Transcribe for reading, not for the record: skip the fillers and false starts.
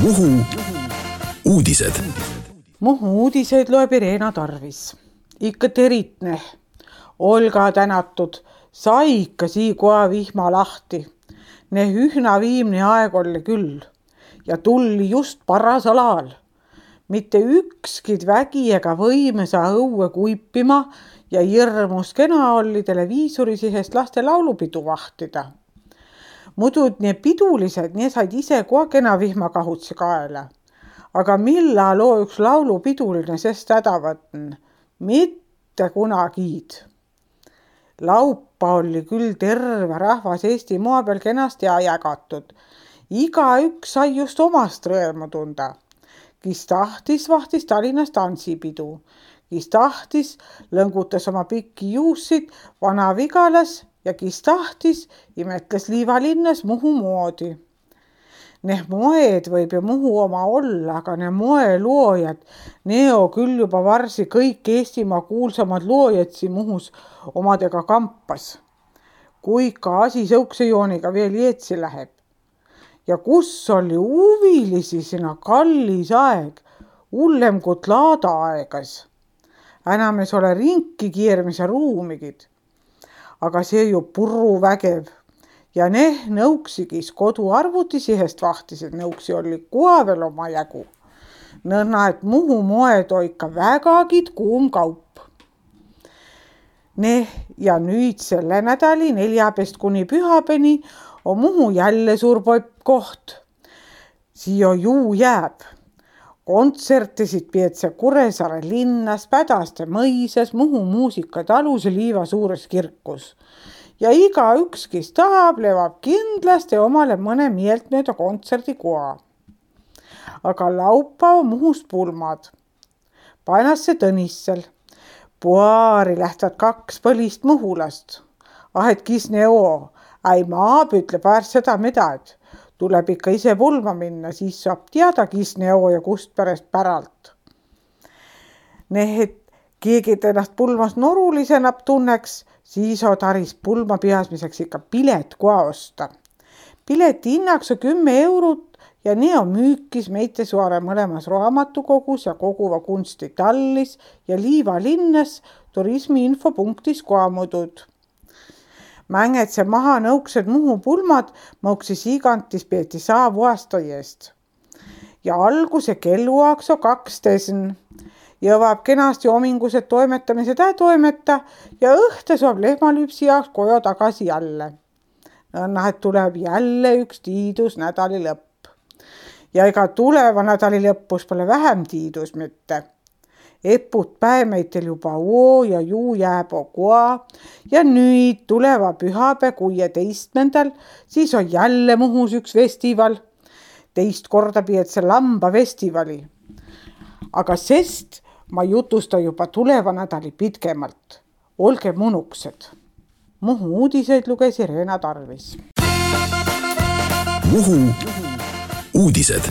Muhu uudised. Muhu uudiseid loeb Irena Tarvis. Ikka teritne. Olga tänatud. Sai ikka siikoa vihma lahti. Ne ühna viimne aeg oli küll. Ja tulli just parasal ajal. Mitte ükskid vägi ega võime saa õue kuipima ja hirmus kena oli televiisori sihest laste laulupidu vahtida. Muidu nii pidulised, nii said ise kohe kena vihmakahutsi kaela. Aga milla loo üks laulupiduline sest häda võtn? Mitte kunagiid. Laupa oli küll terve rahvas Eesti maa peal kenasti jagatud. Iga üks sai just omast rõõmu tunda. Kis tahtis, vahtis Tallinnas tantsipidu. Kis tahtis, lõngutas oma pikki juussid Vana-Vigalas ja kis tahtis, imetles Liivalinnas Muhu moodi. Need moed võib ju Muhu oma olla, aga need moeloojad, neo küll juba varsi kõik Eestimaa kuulsamad loojad siin Muhus omadega kampas. Kui ka asi sõukse jooniga veel jeetsi läheb. Ja kus oli huvilisi sinna kallis aeg, hullem kui laada aegas. Enam ei ole rinki kiirmise ruumigid. Aga see ju purru vägev. Ja ne nõuksigis kodu arvutisihest vahtisid, nõuksi oli koha veel oma jägu. Nõnna, et Muhu moed oika vägagid kuum kaup. Ja nüüd selle nädali 4. kuni pühapeni on Muhu jälle suur koht. Siia juu jääb. Kontsertisid peetse Kuressaare linnas, Pädaste mõisas, Muhu muusikatalus ja Liiva suures kirkus. Ja iga üks, kes tahab, levab kindlasti omale mõne meeltmööda kontserdikoa. Aga laupa on Muhus pulmad. Painasse Tõnissel. Puaari lähtvad 2 põlist muhulast. Ahet kis neo. Ai maab ütleb väärt seda midagi. Tuleb ikka ise pulma minna, siis saab teada, kis neo ja kust päralt. Need keegi ennast pulmas norulisena tunneks, siis on taris pulma pihasmiseks ikka pilet koha osta. Pileti hinnaks on 10 eurot ja nii on müükis Meitesuare mõlemas raamatukogus ja Koguva kunsti tallis ja Liivalinnas turismiinfopunktis kohamudud. Mängetse maha nõuksed Muhu pulmad, mõuksis igantis peeti saavu aasta eest. Ja alguse kelluaks on 12. Jõvab kenasti omingused toimetamised toimeta ja õhte saab lehmalüpsi jaoks koju tagasi jälle. Nõnna, et tuleb jälle üks tiidus nädali lõpp. Ja ega tuleva nädali lõppus pole vähem tiidus mitte. Eput päevmeitel juba oo ja juu jääb koa ja nüüd tuleva pühapäev 16. Siis on jälle Muhus üks festival. 2 korda peetse lamba festivali. Aga sest ma jutusta juba tuleva nädali pitkemalt. Olge munuksed. Muhu uudiseid luges Irena Tarvis. Muhu uudised.